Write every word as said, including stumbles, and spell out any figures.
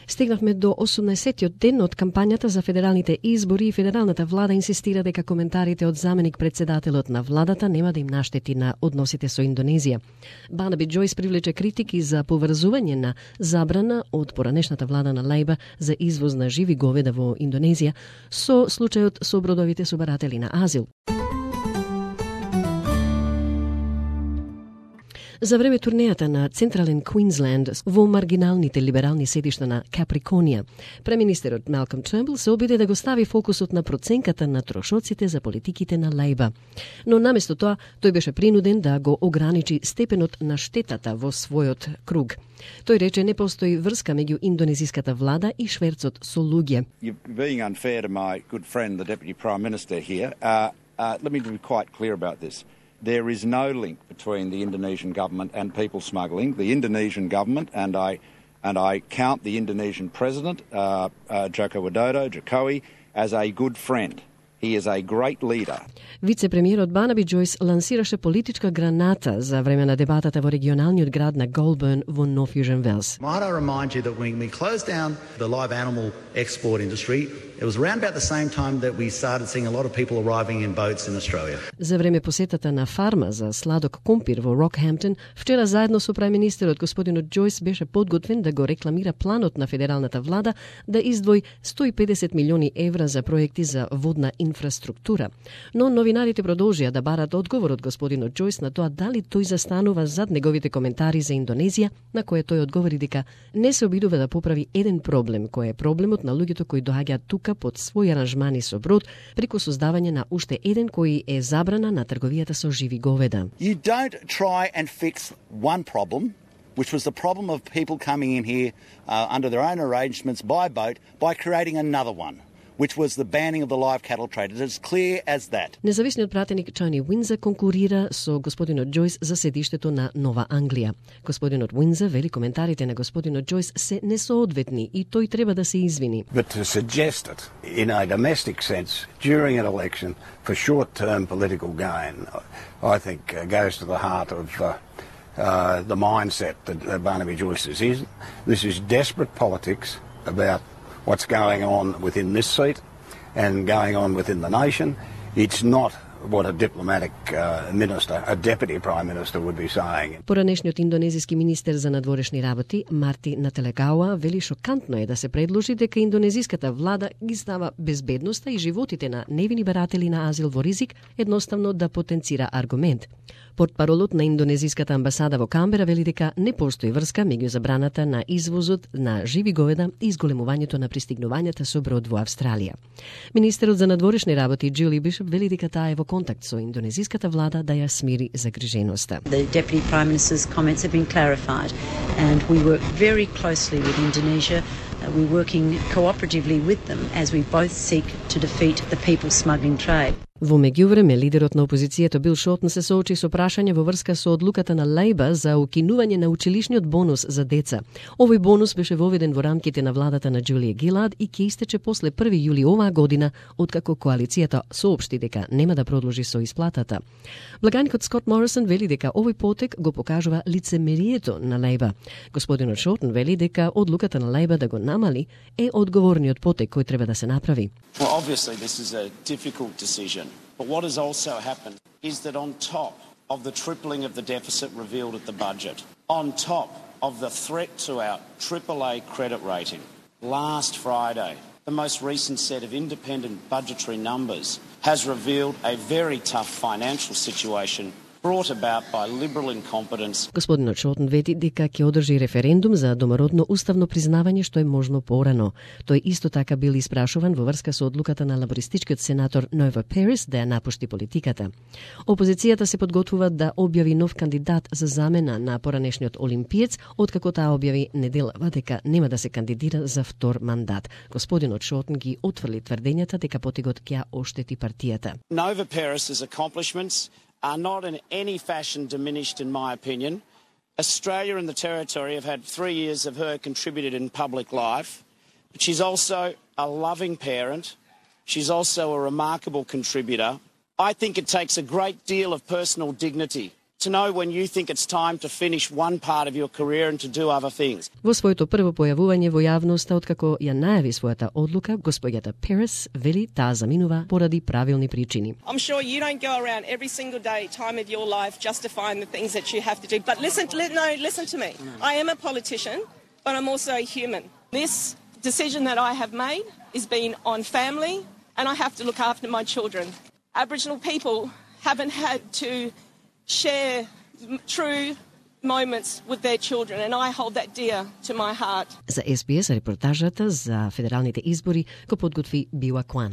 Стигнавме до осумнаесеттиот ден од кампањата за федералните избори и федералната влада инсистира дека коментарите од заменик председателот на владата нема да им наштети на односите со Индонезија. Барнаби Џојс привлече критики за поврзување на забрана од поранешната влада на Лејба за извоз на живи говеда во Индонезија со случајот со бродовите собаратели на азил. За време турнејата на Централен Квинсленд во маргиналните либерални седишта на Каприконија, преминистерот Малком Трнбул се обиде да го стави фокусот на проценката на трошоците за политиките на Лејба. Но наместо тоа, тој беше принуден да го ограничи степенот на штетата во својот круг. Тој рече не постои врска меѓу индонезиската влада и шверцот со луѓе. You're being unfair to my good friend, the Deputy Prime Minister here. Uh, uh, let me be quite clear about this. There is no link between the Indonesian government and people smuggling. The Indonesian government, and I and I count the Indonesian president, uh, uh, Joko Widodo, Jokowi, as a good friend. He is a great leader. Вице-премиерот Барнаби Џојс лансираше политичка граната за време на дебатата во регионалниот град на Голберн во Нов Јужен Велс. Might I remind you that when we closed down the live animal export industry, it was around about the same time that we started seeing a lot of people arriving in boats in Australia. За време посетата на фарма за сладок компир во Рокхемптон, вчера заедно со преминистерот господинот Џојс беше подготвен да го рекламира планот на федералната влада да издвои сто и педесет милиони евра за проекти за водна инфраструктура. Но новинарите продолжија да барат одговор од господинот Џојс на тоа дали тој застанува зад неговите коментари за Индонезија, на кое тој одговори дека не се обидува да поправи еден проблем, кој е проблемот на луѓето кои доаѓаат тука под своји аранжмани со брод, преку создавање на уште еден кој е забрана на трговијата со живи говеда. You don't try and fix one problem, which was the problem of people coming in here uh, under their own arrangements by boat, by creating another one, which was the banning of the live cattle trade. It is clear as that. Независниот пратеник Тони Уинза конкурира со господинот Џојс за седиштето на Нова Англија. Господинот Уинза вели коментарите на господинот Џојс се несоодветни и тој треба да се извини. But to suggest it in a domestic sense during an election for short-term political gain, I think uh, goes to the heart of uh, uh, the mindset that uh, Barnaby Џoјs is in. This is desperate politics about what's going on within this seat and going on within the nation. It's not what a diplomatic uh, minister, a deputy prime minister would be saying. Поранешниот индонезиски министер за надворешни работи Марти Нателегауа вели шокантно е да се предложи дека индонезиската влада ги става безбедноста и животите на невини баратели на азил во ризик едноставно да потенцира аргумент. Портпаролот на индонезиската амбасада во Камбера вели дека не постои врска меѓу забраната на извозот на живи говеда и изголемувањето на пристигнувањата со брод во Австралија. Министерот за надворешни работи Джули Бишоп вели дека таа е во контакт со индонезиската влада да ја смири загриженоста. The Deputy Prime Minister's comments have been clarified and we work very closely with Indonesia. Uh, we're working cooperatively with them as we both seek to defeat the people smuggling trade. Во меѓувреме, лидерот на опозицијата Бил Шортон се соочи со прашање во врска со одлуката на Лејба за укинување на училишниот бонус за деца. Овој бонус беше воведен во рамките на владата на Џулија Гилад и ќе истече после први јули оваа година, откако коалицијата соопшти дека нема да продолжи со исплатата. Благаникот Скот Морисон вели дека овој потек го покажува лицемерието на Лејба. Господинот Шортон вели дека одлуката на Лејба да го намали е одговорниот потек кој треба да се направи. Well, obviously this is a difficult decision. But what has also happened is that on top of the tripling of the deficit revealed at the budget, on top of the threat to our triple A credit rating, last Friday, the most recent set of independent budgetary numbers has revealed a very tough financial situation brought about by liberal incompetence. Господинот Шортон вети дека ќе одржи референдум за домородно уставно признавање што е можно порано. Тој исто така бил испрашуван во врска со одлуката на лабористичкиот сенатор Нова Перес да ја напушти политиката. Опозицијата се подготвува да објави нов кандидат за замена на поранешниот олимпиец, откако таа објави неделава дека нема да се кандидира за втор мандат. Господинот Шортон ги отфрли тврдењата дека потегот ќе ја оштети партијата. Nova Perez's accomplishments are not in any fashion diminished, in my opinion. Australia and the Territory have had three years of her contributed in public life, but she's also a loving parent. She's also a remarkable contributor. I think it takes a great deal of personal dignity to know when you think it's time to finish one part of your career and to do other things. Во своето прво појавување во јавноста откако ја најави својата одлука, господјата Перес вели таа заминува поради правилни причини. I'm sure you don't go around every single day, time of your life, justifying the things that you have to do. But listen, no, listen to me. I am a politician, but I'm also a human. This decision that I have made is being on family, and I have to look after my children. Aboriginal people haven't had to share true moments with their children, and I hold that dear to my heart. За Ес Би Ес репортажата за федералните избори го подготви Била Кван.